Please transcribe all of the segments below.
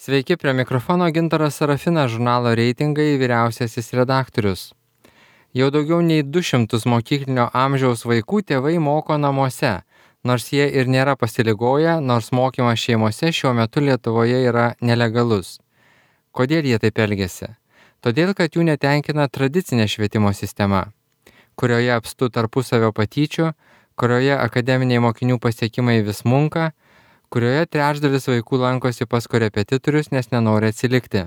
Sveiki, prie mikrofono Gintaras Sarafinas, žurnalo Reitingai vyriausiasis redaktorius. Jau daugiau nei 200 mokyklinio amžiaus vaikų tėvai moko namuose, nors jie ir nėra pasiligoję, nors mokymas šeimose šiuo metu Lietuvoje yra nelegalus. Kodėl jie taip elgiasi? Todėl, kad jų netenkina tradicinė švietimo sistema, kurioje apstu tarpusavio patyčių, kurioje akademiniai mokinių pasiekimai vis munka, kurioje trečdalis vaikų lankosi pas korepetitorius, nes nenori atsilikti.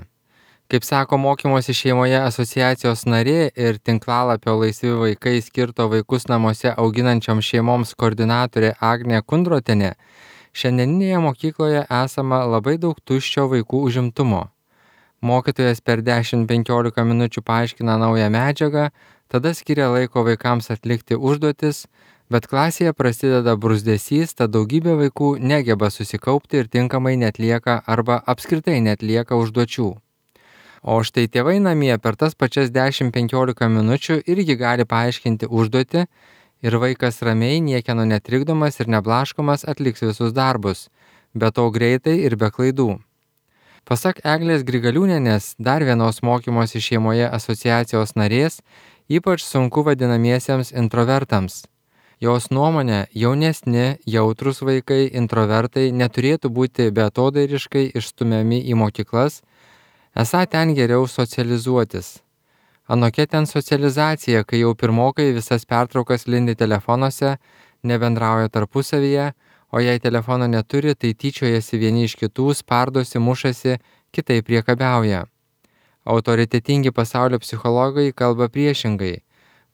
Kaip sako mokymosi šeimoje asociacijos narė ir tinklalapio Laisvi vaikai skirto vaikus namuose auginančiom šeimoms koordinatorė Agnė Kundrotienė, šiandieninėje mokykloje esama labai daug tuščio vaikų užimtumo. Mokytojas per 10-15 minučių paaiškina naują medžiagą, tada skiria laiko vaikams atlikti užduotis, bet klasėje prasideda bruzdesys, tad daugybė vaikų negeba susikaupti ir tinkamai netlieka arba apskritai netlieka užduočių. O štai tėvai namie per tas pačias 10-15 minučių irgi gali paaiškinti užduotį ir vaikas ramiai, niekieno netrikdomas ir neblaškomas atliks visus darbus, be to greitai ir be klaidų. Pasak Eglės Grigaliūnienės, dar vienos mokymosi šeimoje asociacijos narės, ypač sunku vadinamiesiems introvertams. Jos nuomonė, jaunesni, jautrus vaikai, introvertai neturėtų būti beatodairiškai išstumiami į mokyklas, esą ten geriau socializuotis. Anokia ten socializacija, kai jau pirmokai visas pertraukas lindi telefonuose, nebendrauja tarpusavyje, o jei telefono neturi, tai tyčiojasi vieni iš kitų, spardosi, mušasi, kitai priekabiauja. Autoritetingi pasaulio psichologai kalba priešingai.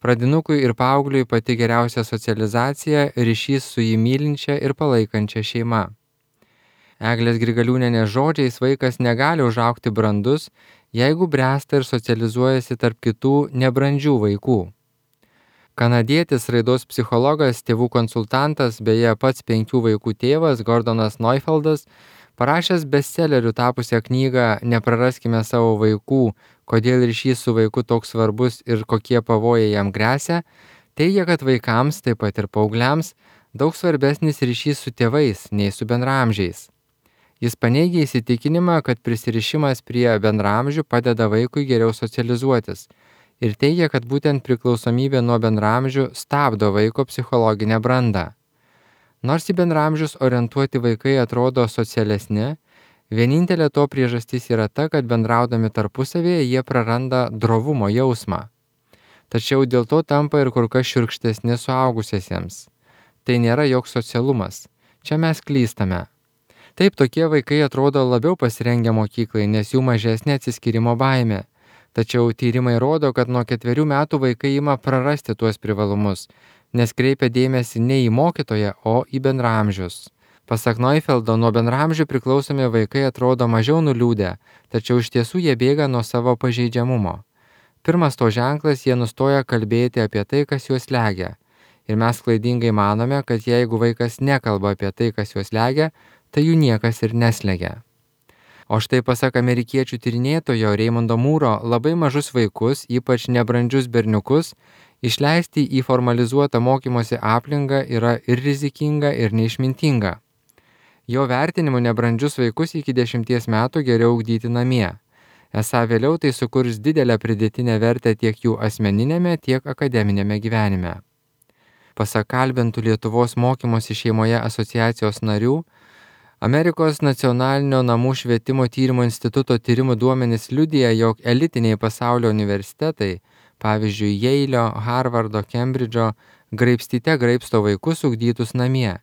Pradinukui ir paaugliui pati geriausia socializacija – ryšys su jį mylinčia ir palaikančia šeima. Eglės Grigaliūnienės žodžiais vaikas negali užaugti brandus, jeigu bręsta ir socializuojasi tarp kitų nebrandžių vaikų. Kanadietis raidos psichologas, tėvų konsultantas, beje pats 5 vaikų tėvas Gordonas Neufeldas, parašęs bestselleriu tapusią knygą Nepraraskime savo vaikų, kodėl ryšys su vaiku toks svarbus ir kokie pavojai jam gresia, teigia, kad vaikams, taip pat ir paaugliams, daug svarbesnis ryšys su tėvais nei su bendraamžiais. Jis paneigia įsitikinimą, kad prisirišimas prie bendraamžių padeda vaikui geriau socializuotis ir teigia, kad būtent priklausomybė nuo bendraamžių stabdo vaiko psichologinę brandą. Nors į bendraamžius orientuoti vaikai atrodo socialesni, vienintelė to priežastis yra ta, kad bendraudami tarpusavėje jie praranda drovumo jausmą. Tačiau dėl to tampa ir kur kas šiurkštesni suaugusiesiems. Tai nėra joks socialumas. Čia mes klystame. Taip, tokie vaikai atrodo labiau pasirengę mokyklai, nes jų mažesnė atsiskyrimo baimė. Tačiau tyrimai rodo, kad nuo 4 metų vaikai ima prarasti tuos privalumus, nes kreipia dėmesį ne į mokytoją, o į bendraamžius. Pasak Neufeldo, nuo bendraamžių priklausomi vaikai atrodo mažiau nuliūdę, tačiau iš tiesų jie bėga nuo savo pažeidžiamumo. Pirmas to ženklas, jie nustoja kalbėti apie tai, kas juos slegia. Ir mes klaidingai manome, kad jeigu vaikas nekalba apie tai, kas juos slegia, tai jų niekas ir neslegia. O štai pasak amerikiečių tyrinėtojo Reimondo Mūro, labai mažus vaikus, ypač nebrandžius berniukus, išleisti į formalizuotą mokymosi aplinką yra ir rizikinga, ir neišmintinga. Jo vertinimu nebrandžius vaikus iki 10 metų geriau ugdyti namie. Esą vėliau tai sukurs didelę pridėtinę vertę tiek jų asmeninėme, tiek akademinėme gyvenime. Pasak kalbintų Lietuvos mokymosi šeimoje asociacijos narių, Amerikos nacionalinio namų švietimo tyrimo instituto tyrimų duomenys liudija, jog elitiniai pasaulio universitetai, pavyzdžiui, Jeilio, Harvardo, Kembridžo, graibstyte graibsto vaikus ugdytus namie,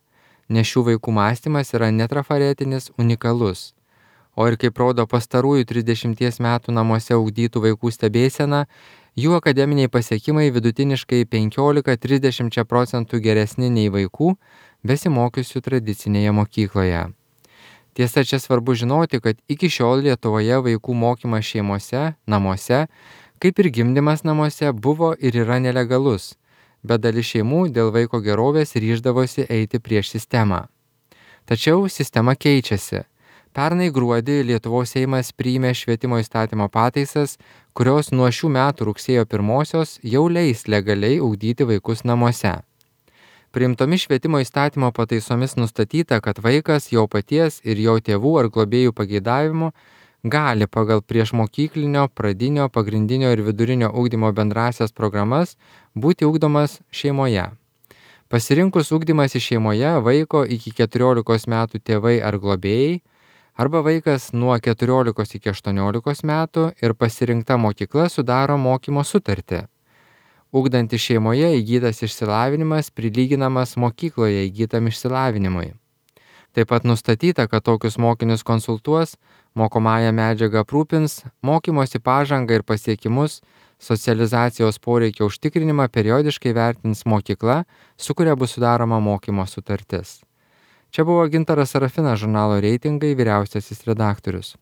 nes šių vaikų mąstymas yra netrafaretinis, unikalus. O ir kaip rodo pastarųjų 30 metų namuose ugdytų vaikų stebėsena, jų akademiniai pasiekimai vidutiniškai 15-30% geresni nei vaikų, besimokiusių tradicinėje mokykloje. Tiesa, čia svarbu žinoti, kad iki šiol Lietuvoje vaikų mokymas šeimose, namuose, kaip ir gimdymas namuose, buvo ir yra nelegalus, bet dalis šeimų dėl vaiko gerovės ryždavosi eiti prieš sistemą. Tačiau sistema keičiasi. Pernai gruodį Lietuvos Seimas priėmė švietimo įstatymo pataisas, kurios nuo šių metų rugsėjo 1 jau leis legaliai ugdyti vaikus namuose. Priimtomis švietimo įstatymo pataisomis nustatyta, kad vaikas jo paties ir jo tėvų ar globėjų pageidavimu gali pagal priešmokyklinio, pradinio, pagrindinio ir vidurinio ugdymo bendrasias programas būti ugdomas šeimoje. Pasirinkus ugdymąsi šeimoje vaiko iki 14 metų tėvai ar globėjai, arba vaikas nuo 14 iki 18 metų ir pasirinkta mokykla sudaro mokymo sutartį. Ugdantis šeimoje įgytas išsilavinimas prilyginamas mokykloje įgytam išsilavinimui. Taip pat nustatyta, kad tokius mokinius konsultuos, mokomąją medžiagą aprūpins, mokymosi pažangą ir pasiekimus, socializacijos poreikio užtikrinimą periodiškai vertins mokykla, su kuria bus sudaroma mokymo sutartis. Čia buvo Gintaras Sarafinas, žurnalo Reitingai vyriausiasis redaktorius.